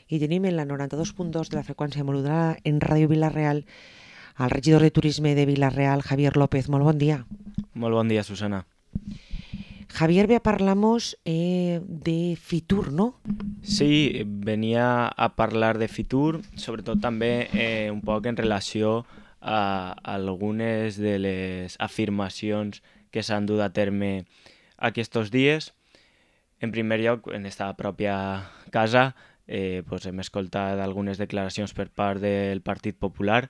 i tenim en la 92.2 de la freqüència modulada en Ràdio Vila-real al regidor de Turisme de Vila-real, Javier López. Molt bon dia. Molt bon dia, Susana. Javier, ve a parlar-nos de Fitur, ¿no? Sí, venia a parlar de Fitur, sobretot també un poc en relació a algunes de les afirmacions que s'han dut a terme aquests dies. En primer lloc, en esta pròpia casa, hem escoltat algunes declaracions per part del Partit Popular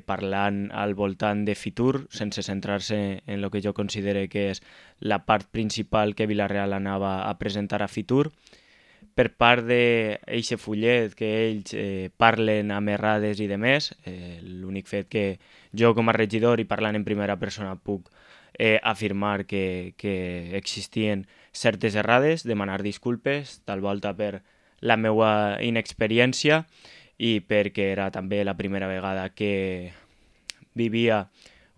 parlant al voltant de Fitur, sense centrar-se en el que jo considero que és la part principal que Vila-real anava a presentar a Fitur. Per part d'eixe fullet que ells parlen amb errades i demés, l'únic fet que jo com a regidor i parlant en primera persona puc afirmar que existien certes errades, demanar disculpes, tal volta per la meva inexperiència i perquè era també la primera vegada que vivia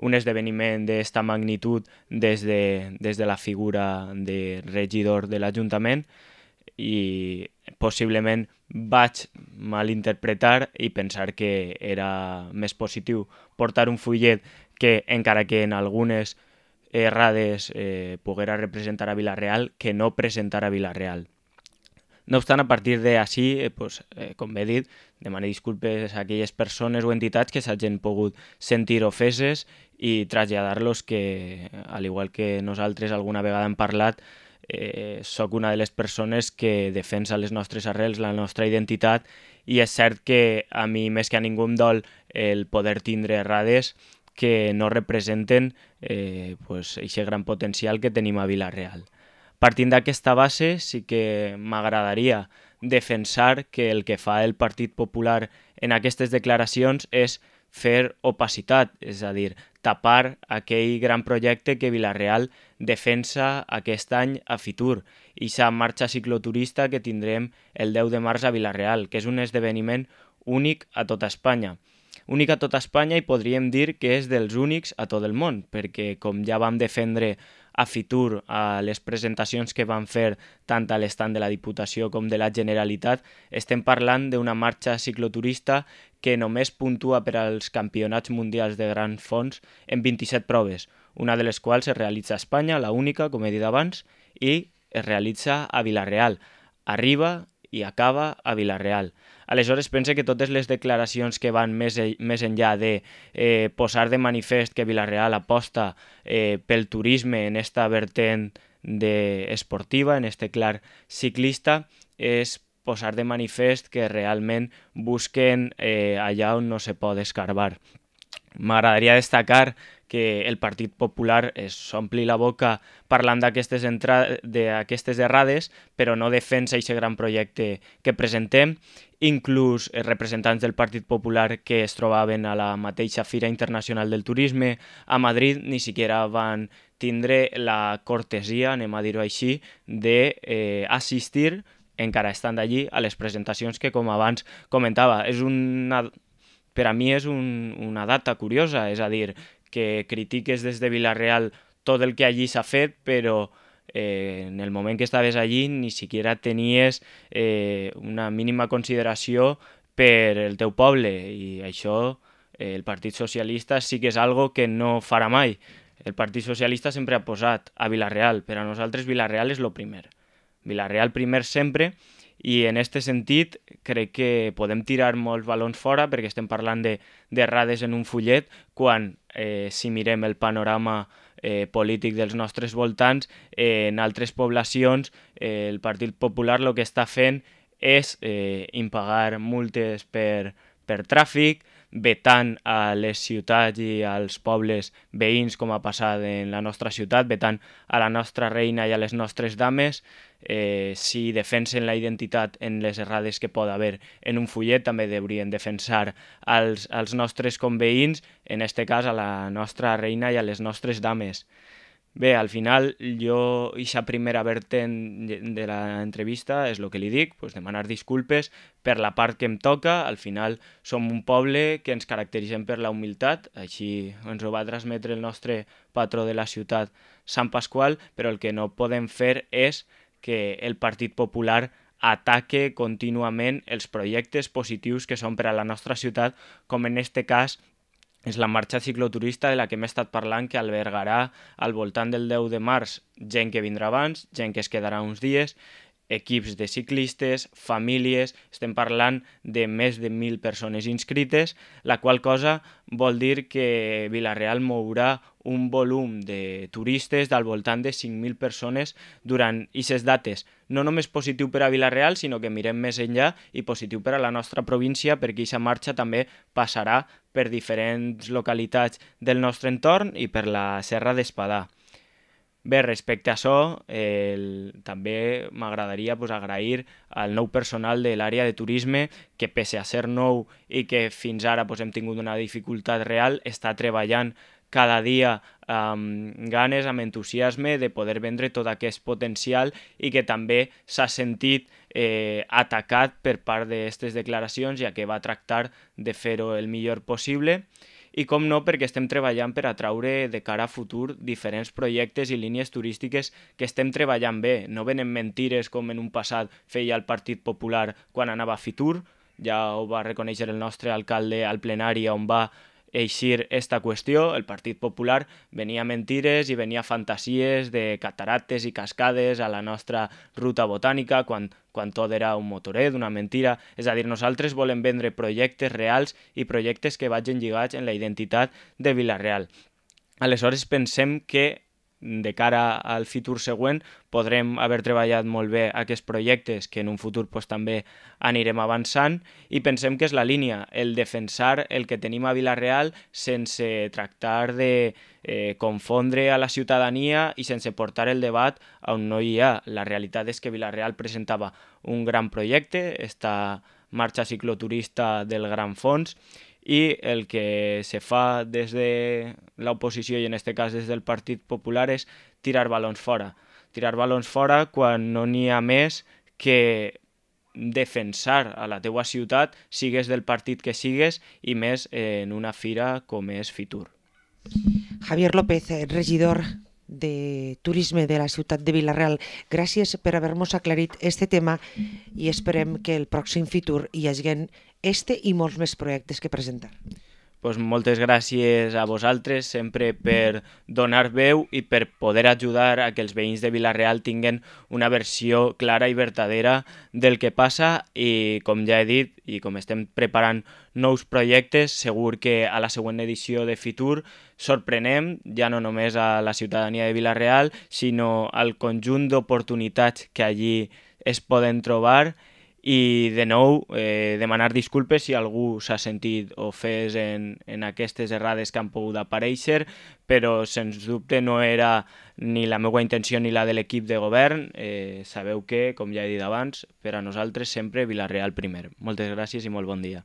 un esdeveniment d'esta magnitud des de la figura de regidor de l'Ajuntament i possiblement vaig malinterpretar i pensar que era més positiu portar un fullet que, encara que en algunes errades poguera representar a Vila-real, que no presentar a Vila-real. No obstant, a partir d'ací, com he dit, demano disculpes a aquelles persones o entitats que s'hagin pogut sentir ofeses i traslladar-los que, al igual que nosaltres alguna vegada hem parlat, sóc una de les persones que defensa les nostres arrels, la nostra identitat, i és cert que a mi més que a ningú em dol el poder tindre errades que no representen aquest gran potencial que tenim a Vila-real. Partint d'aquesta base, sí que m'agradaria defensar que el que fa el Partit Popular en aquestes declaracions és fer opacitat, és a dir, tapar aquell gran projecte que Vila-real defensa aquest any a Fitur, i sa marxa cicloturista que tindrem el 10 de març a Vila-real, que és un esdeveniment únic a tota Espanya. Únic a tota Espanya i podríem dir que és dels únics a tot el món, perquè com ja vam defendre a Fitur a les presentacions que van fer tant a l'estand de la Diputació com de la Generalitat, estem parlant d'una marxa cicloturista que només puntua per als campionats mundials de grans fons en 27 proves, una de les quals es realitza a Espanya, la única, com he dit abans, i es realitza a Vila-real. Arriba i acaba a Vila-real. Aleshores, pense que totes les declaracions que van més enllà de posar de manifest que Vila-real aposta pel turisme en esta vertent esportiva, en este clar ciclista, és posar de manifest que realment busquen allà on no se pot escarbar. M'agradaria destacar que el Partit Popular s'ompli la boca parlant d'aquestes errades, però no defensa aquest gran projecte que presentem. Inclús representants del Partit Popular que es trobaven a la mateixa Fira Internacional del Turisme a Madrid ni siquiera van tindre la cortesia, anem a dir-ho així, d'assistir, encara estant allí, a les presentacions que, com abans comentava, per a mi és una data curiosa, és a dir, que critiques des de Vila-real tot el que allí s'ha fet, però en el moment que estaves allí ni siquiera tenies una mínima consideració per el teu poble, i això el Partit Socialista sí que és algo que no farà mai. El Partit Socialista sempre ha posat a Vila-real, per a nosaltres Vila-real és el primer. Vila-real primer sempre, i en aquest sentit crec que podem tirar molts balons fora perquè estem parlant d'errades en un fullet quan si mirem el panorama polític dels nostres voltants, en altres poblacions el Partit Popular el que està fent és impagar multes per tràfic, vetant a les ciutats i als pobles veïns, com ha passat en la nostra ciutat, vetant a la nostra reina i a les nostres dames. Si defensen la identitat en les errades que pot haver en un fullet, també deurien defensar als nostres conveïns, en este cas a la nostra reina i a les nostres dames. Bé, al final jo, aquesta primera vertent de l'entrevista és el que li dic, demanar disculpes per la part que em toca. Al final som un poble que ens caracteritzem per la humilitat, així ens ho va transmetre el nostre patró de la ciutat, Sant Pasqual, però el que no podem fer és que el Partit Popular ataque contínuament els projectes positius que són per a la nostra ciutat, com en este cas és la marxa cicloturista de la que hem estat parlant, que albergarà al voltant del 10 de març gent que vindrà abans, gent que es quedarà uns dies, equips de ciclistes, famílies, estem parlant de més de 1.000 persones inscrites, la qual cosa vol dir que Vila-real mourà un volum de turistes del voltant de 5.000 persones durant aquestes dates. No només positiu per a Vila-real, sinó que mirem més enllà i positiu per a la nostra província, perquè aquesta marxa també passarà per diferents localitats del nostre entorn i per la Serra d'Espadà. Bé, respecte a això, també m'agradaria agrair al nou personal de l'àrea de turisme que, pese a ser nou i que fins ara hem tingut una dificultat real, està treballant cada dia amb ganes, amb entusiasme de poder vendre tot aquest potencial i que també s'ha sentit atacat per part d'aquestes declaracions, ja que va tractar de fer-ho el millor possible. I com no, perquè estem treballant per atraure de cara a futur diferents projectes i línies turístiques que estem treballant bé. No venen mentires com en un passat feia el Partit Popular quan anava a Fitur, ja ho va reconèixer el nostre alcalde al plenari on va eixir esta qüestió. El Partit Popular venia mentires i venia fantasies de catarates i cascades a la nostra ruta botànica quan tot era un motoret, una mentira. És a dir, nosaltres volem vendre projectes reals i projectes que vagin lligats en la identitat de Vila-real. Aleshores pensem que de cara al futur següent podrem haver treballat molt bé aquests projectes que en un futur també anirem avançant i pensem que és la línia, el defensar el que tenim a Vila-real sense tractar de confondre a la ciutadania i sense portar el debat on no hi ha. La realitat és que Vila-real presentava un gran projecte, esta marxa cicloturista del Gran Fons, i el que se fa des de l'oposició i en aquest cas des del Partit Popular és tirar balons fora. Tirar balons fora quan no n'hi ha més que defensar a la teua ciutat, sigues del partit que sigues i més en una fira com és Fitur. Javier López, regidor de Turisme de la ciutat de Vila-real, gràcies per haver-nos aclarit este tema i esperem que el pròxim Fitur hi hagi este i molts més projectes que presentar. Pues moltes gràcies a vosaltres sempre per donar veu i per poder ajudar a que els veïns de Vila-real tinguen una versió clara i vertadera del que passa i, com ja he dit, i com estem preparant nous projectes, segur que a la següent edició de Fitur sorprenem ja no només a la ciutadania de Vila-real, sinó al conjunt d'oportunitats que allí es poden trobar. I de nou demanar disculpes si algú s'ha sentit ofès en aquestes errades que han pogut aparèixer, però sens dubte no era ni la meva intenció ni la de l'equip de govern. Sabeu que, com ja he dit abans, per a nosaltres sempre Vila-real primer. Moltes gràcies i molt bon dia.